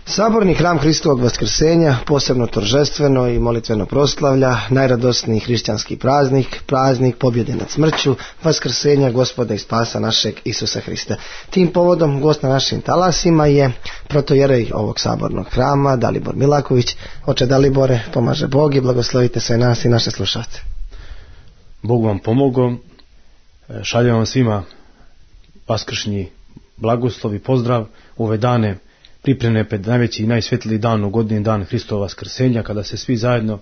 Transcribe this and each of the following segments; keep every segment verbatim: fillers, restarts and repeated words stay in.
Saborni hram Hristovog vaskrsenja posebno торжествено i molitveno proslavlja najradosniji hrišćanski praznik, praznik pobjede nad smrću, vaskrsenja Gospoda i spasa našeg Isusa Hrista. Tim povodom gost na našim talasima je protojerej ovog sabornog hrama Dalibor Milaković. Oče Dalibore, pomaže Bog i blagoslovite sve nas i naše slušalce. Bog vam pomogao, šaljem vam svima vaskršnji blagoslov i pozdrav u ove dane pripremne pred najveći i najsvetliji dan u godini, dan Hristova vaskrsenja, kada se svi zajedno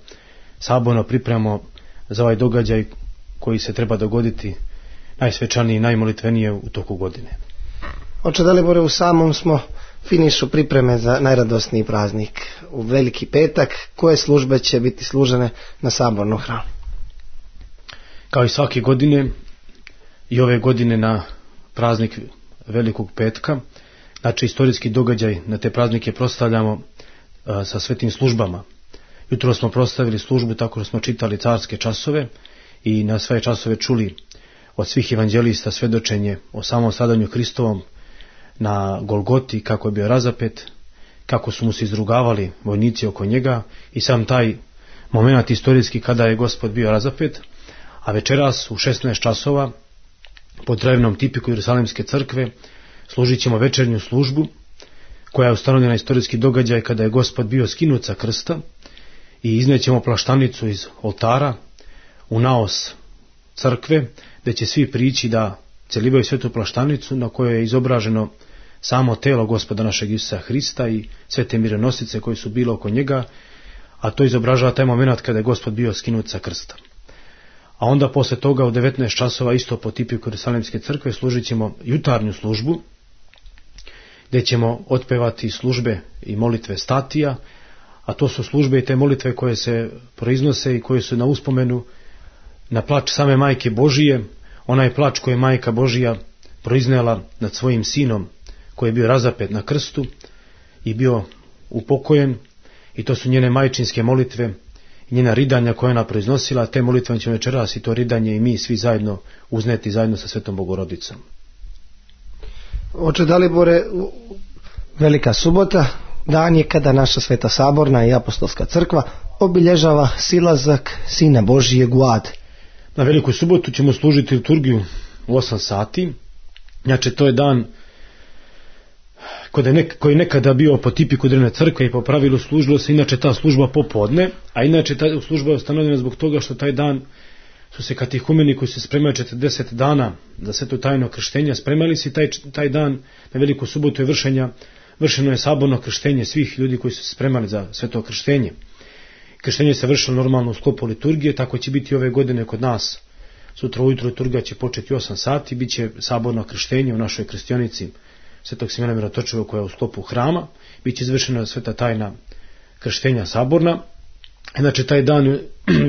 saborno pripremamo za ovaj događaj koji se treba dogoditi najsvečaniji i najmolitvenije u toku godine. Oče Dalibore, u samom smo finišu pripreme za najradosniji praznik, u Veliki petak. Koje službe će biti služene na sabornom hramu? Kao i svake godine, i ove godine na praznik Velikog petka, znači istorijski događaj, na te praznike proslavljamo a, sa svetim službama. Jutro smo proslavili službu tako što smo čitali carske časove i na sve časove čuli od svih evanđelista svedočenje o samom stradanju Hristovom na Golgoti, kako je bio razapet, kako su mu se izrugavali vojnici oko njega i sam taj moment istorijski kada je Gospod bio razapet. A večeras u šesnaest časova pod drevnom tipiku Jerusalimske crkve služit ćemo večernju službu koja je ustanovljena istorijski događaj kada je Gospod bio skinut sa krsta i iznećemo plaštanicu iz oltara u naos crkve gdje će svi prići da celivaju svetu plaštanicu na kojoj je izobraženo samo telo Gospoda našeg Isusa Hrista i sve te mirenosice koje su bile oko njega, a to izobražava taj moment kada je Gospod bio skinut sa krsta. A onda posle toga u devetnaest časova isto po tipiku Jerusalimske crkve služit ćemo jutarnju službu gdje ćemo otpevati službe i molitve statija, a to su službe i te molitve koje se proiznose i koje su na uspomenu na plač same Majke Božije, onaj plač koji je Majka Božija proiznela nad svojim sinom koji je bio razapet na krstu i bio upokojen, i to su njene majčinske molitve i njena ridanja koje ona proiznosila. Te molitve ćemo večeras i to ridanje i mi svi zajedno uzneti zajedno sa Svetom Bogorodicom. Oče Dalibore, Velika subota, dan je kada naša Sveta Saborna i Apostolska crkva obilježava silazak Sina Božijeg u ad. Na Veliku subotu ćemo služiti liturgiju u osam sati. Znači to je dan koji je nekada bio po tipiku drevne crkve i po pravilu služilo se inače ta služba popodne, a inače ta služba je ustanovljena zbog toga što taj dan su se katehumeni koji se spremaju četrdeset dana za sveto tajno krštenja spremali se i taj, taj dan na Veliku subotu je vršenja, vršeno je saborno krštenje svih ljudi koji su se spremali za sveto krštenje. Krštenje se vršilo normalno u sklopu liturgije, tako će biti ove godine kod nas. Sutra ujutro liturgija će početi u osam sati, bit će saborno krštenje u našoj krstionici Svetog Simona Mirotočivog koja je u sklopu hrama, bit će izvršena sveta tajna krštenja saborna. Znači taj dan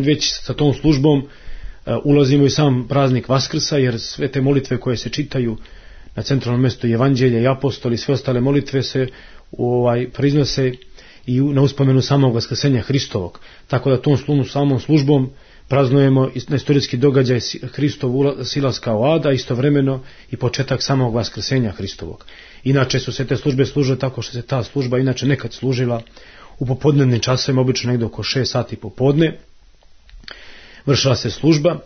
već sa tom službom uh, ulazimo i sam praznik Vaskrsa, jer sve te molitve koje se čitaju na centralnom mjestu Evanđelja i apostoli, sve ostale molitve se ovaj, priznose i na uspomenu samog vaskrsenja Hristovog. Tako da tom slumu, samom službom praznujemo na istorijski događaj Hristov silaska u ada, istovremeno i početak samog vaskrsenja Hristovog. Inače su se te službe služile tako što se ta služba inače nekad služila u popodnevnim časovima, obično negdje oko šest sati popodne. Vršila se služba,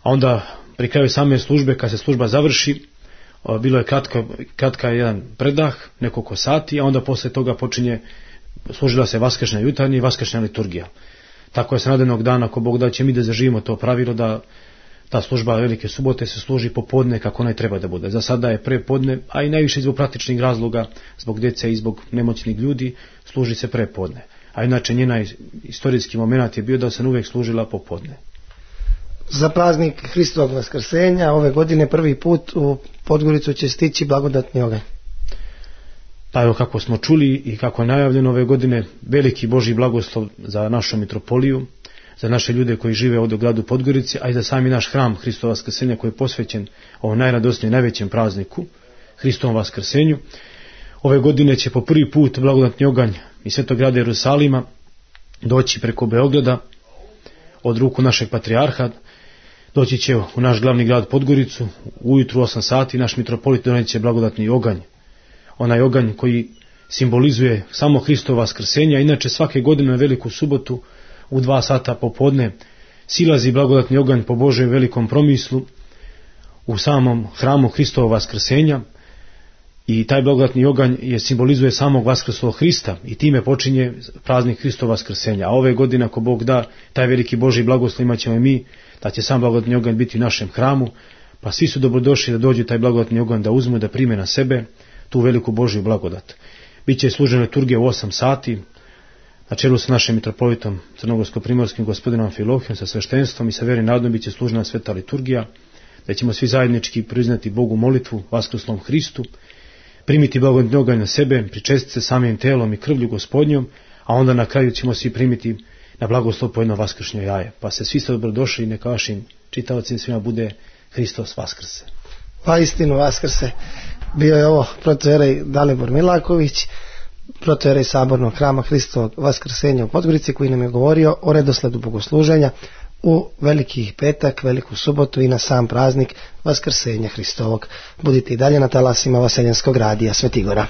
a onda pri kraju same službe, kad se služba završi, bilo je kratka, kratka jedan predah, nekoliko sati, a onda posle toga počinje, služila se vaskršnja jutarnja i vaskršnja liturgija. Tako je s narednog dana, ako Bog da, će mi da zaživimo to pravilo da ta služba Velike subote se služi popodne kako ne treba da bude. Za sada je prepodne, a i najviše zbog praktičnih razloga, zbog djece i zbog nemoćnih ljudi, služi se prepodne. A inače njena istorijski moment je bio da se uvijek služila popodne. Za praznik Hristovog vaskrsenja ove godine prvi put u Podgoricu će stići blagodatni oganj. Pa evo, kako smo čuli i kako je najavljeno ove godine, veliki Božji blagoslov za našu mitropoliju, za naše ljude koji žive ovdje u gradu Podgorici, a i za sami naš hram Hristova vaskrsenja koji je posvećen ovom najradosnijem, najvećem prazniku, Hristovom vaskrsenju. Ove godine će po prvi put blagodatni oganj iz svetog grada Jerusalima doći preko Beograda od ruku našeg patrijarha. Doći će u naš glavni grad Podgoricu, ujutru osam sati naš mitropolit doneće blagodatni oganj. Onaj oganj koji simbolizuje samo Hristovo vaskrsenje. Inače svake godine na veliku subotu u dva sata popodne silazi blagodatni oganj po Božjem velikom promislu u samom hramu Hristovog vaskrsenja i taj blagodatni oganj je simbolizuje samog vaskrslog Hrista i time počinje praznik Hristovog vaskrsenja. A ove godine, ako Bog da, taj veliki Božji blagoslov imat ćemo i mi, da će sam blagodatni oganj biti u našem hramu, pa svi su dobrodošli da dođu taj blagodatni oganj da uzmu, da prime na sebe tu veliku Božju blagodat. Biće služena liturgija u osam sati, na čelu sa našim mitropolitom crnogorsko-primorskim gospodinom Amfilohijom, sa sveštenstvom i sa vjernim narodom biće služena sveta liturgija, da ćemo svi zajednički priznati Bogu molitvu, vaskrslom Hristu, primiti blagodatni oganj na sebe, pričestiti se samim telom i krvlju Gospodnjom, a onda na kraju ćemo svi primiti na blagoslov po jedno vaskršnje jaje. Pa se svi ste dobrodošli i neka vašim čitaocima svima bude Hristos vaskrse. Pa istinu vaskrse. Bio je ovo protojerej Dalibor Milaković, protojerej Sabornog hrama Hristovog vaskrsenja u Podgorici, koji nam je govorio o redosledu bogosluženja u veliki petak, veliku subotu i na sam praznik vaskrsenja Hristovog. Budite i dalje na talasima Vaseljenskog radija Svetigora.